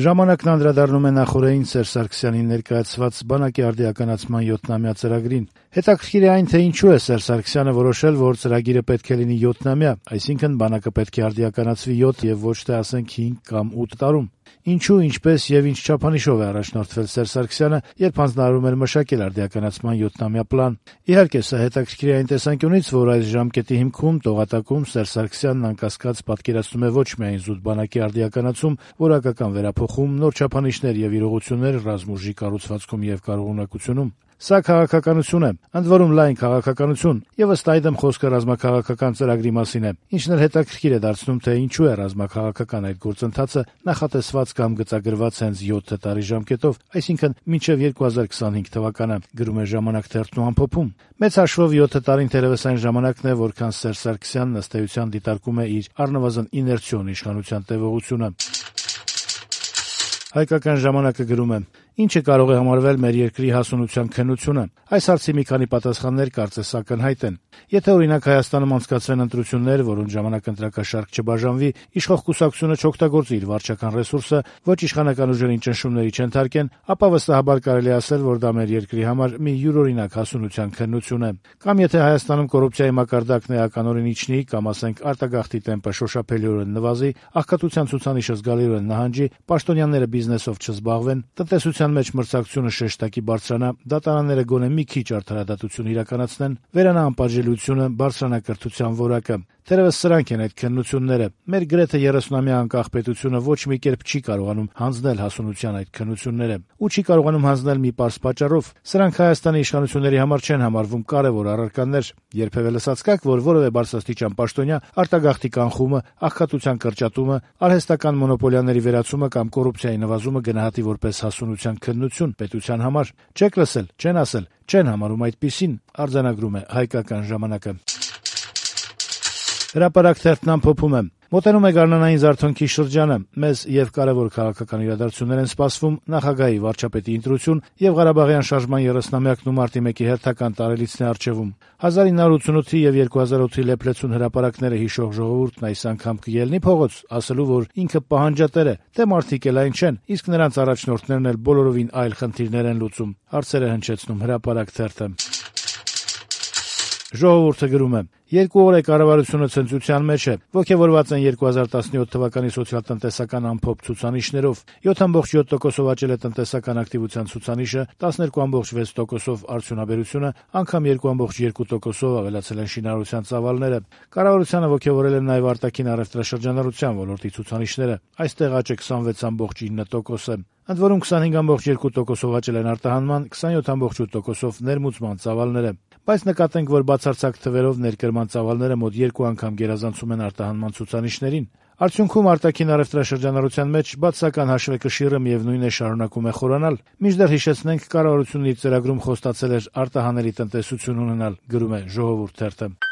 Ժամանակն անդրադառնում է նախօրեին Սերժ Սարգսյանին ներկայացված բանակի արդիականացման 7-ամյա ծրագրին։ Հետաքրքիր է այն, թե ինչու է Սերժ Սարգսյանը որոշել, որ ծրագիրը պետք է լինի 7-ամյա, այսինքն բանակը պետք է արդիականացվի 7 եւ ոչ թե ասենք 5 կամ 8 տարում։ Ինչու, ինչպես եւ ինչ չափանիշով է առաջնորդվել Սերժ Սարգսյանը, երբ հանձնարարում էր մշակել արդիականացման 7-ամյա պլան։ Իհարկե, սա հետաքրքիր է այն տեսանկյունից, որ այս ժամկետի հիմքում տողատակում Սերժ Սարգսյանն անկասկած պատկերացնում է ոչ միայն զուտ բանակի արդիականացում, որակական վերափոխում, նոր չափանիշներ եւ իրողություններ ռազմուժի կառուցվածքում եւ կարողունակությունում։ Սա քաղաքականություն է, ընդ որում լայն քաղաքականություն, եւ ըստ այդմ խոսքը ռազմաքաղաքական ծրագրի մասին է, ինչն էլ հետաքրքիր է դարձնում, թե ինչու է ռազմաքաղաքական այդ գործընթացը նախատեսված կամ գծագրված հենց 7 տարի ժամկետով, այսինքն մինչեւ 2025 թվականը, գրում է «Ժամանակ» թերթն ու ամփոփում։ Մեծ հաշվով 7 տարին թերևս այն ժամանակն է, որքան Սերժ Սարգսյանն ըստ էության դիտարկում է իր առնվազն իներցիոն իշխանության տևողությունը։ Հայկական ժամանակը գրում է. «Ինչը կարող է համարվել մեր երկրի հասունության քննությունը։ Այս հարցի մի քանի պատասխաններ կարծես ակնհայտ են։ Եթե օրինակ Հայաստանում անցկացվեն ընտրություններ, որոնց ժամանակ ընտրակաշարք չբաժանվի, իշխող կուսակցությունը չօգտագործի իր վարչական ռեսուրսը, ոչ իշխանական ուժերին ճնշումների չընթարկեն, ապա վստահաբար կարելի է ասել, որ դա մեր երկրի համար մի յուրօրինակ հասունության քննություն է։ Կամ եթե Հայաստանում կոռուպցիայի մակարդակն էականորեն իջնի, կամ ասենք արտագաղթի տեմպը շոշափելիորեն նվազի, աղքատության ցուցանիշը զգալիորեն նահանջի, պաշտոնյաները բիզնեսով չզբաղվեն, տնտեսության մեջ մրցակցությունը շեշտակի բարձրանա, դատարանները գոնե մի քիչ արդարադատություն իրականացնեն, վերանա անպատժելիությունը, բարձրանա կրթության որակը։ Թերևս սրանք են այդ քննությունները։ Մեր գրեթե 30-ամյա անկախ պետությունը ոչ մի կերպ չի կարողանում հանձնել հասունության այդ քննությունները, ու չի կարողանում հանձնել մի պարզ պատճառով։ Սրանք Հայաստանի իշխանությունների համար չեն համարվում կարևոր առարկաներ։ Երբևէ լսած կաք, որ որևէ բարձրաստիճան պաշտոնյա արտագաղթի կանխումը, աղքատության կրճատումը, արհեստական մոնոպոլիաների վերացումը կամ կոռուպցիայի նվազումը գնահատի որպես հասունության քննություն պետության համար։ Չեք լսել, չեն ասել, չեն համարում այդպիսին», արձանագրում է Հայկական ժամանակը։ Հրապարակ թերթն ամփոփում է. «Մոտենում է գարնանային զարթոնքի շրջանը։ Մեզ եւ կարեւոր քաղաքական իրադարձություններ են սպասվում, նախագահի, վարչապետի ընտրություն եւ Ղարաբաղյան շարժման 30-ամյակն ու մարտի 1-ի հերթական տարելիցն է առջեվում։ 1988-ի եւ 2008-ի լեփլեցուն հրապարակները հիշող ժողովուրդն այս անգամ կելնի փողոց, ասելու, որ ինքը պահանջատեր է, թե մարդիկ էլ այն չեն, իսկ նրանց առաջնորդներն էլ բոլորովին այլ խնդիրներ են լուծում», հարցերը հնչեցնում Հրապարակ թերթը։ Ժողովուրդը գրում է. «Երկու օր է կառավարությունը ցնծության մեջ է, ոգևորված են 2017 թվականի սոցիալ-տնտեսական ամփոփ ցուցանիշներով։ 7.7%-ով աճել է տնտեսական ակտիվության ցուցանիշը, 12.6%-ով արդյունաբերությունը, անգամ 2.2%-ով ավելացել են շինարարության ծավալները։ Կառավարությանը ոգևորել են նաև արտաքին առևտրաշրջանառության ոլորտի ցուցանիշները։ Այստեղ աճը 26.9% է։ Ընդ որում 25.2%-ով աճել են արտահանման, 27.8%-ով ներմուծման ծավալները։ Բայց նկատենք, որ բացարձակ թվերով ներկրման ծավալները մոտ 2 անգամ գերազանցում են արտահանման ցուցանիշներին։ Արդյունքում արտաքին առևտրաշրջանառության մեջ բացասական հաշվեկշիռը միևնույն է շարունակում է խորանալ։ Մինչդեռ հիշեցնենք, կառավարությունն իր ծրագրում խոստացել էր արտահանելի տնտեսություն ունենալ, գրում է Ժողովուրդ թերթը։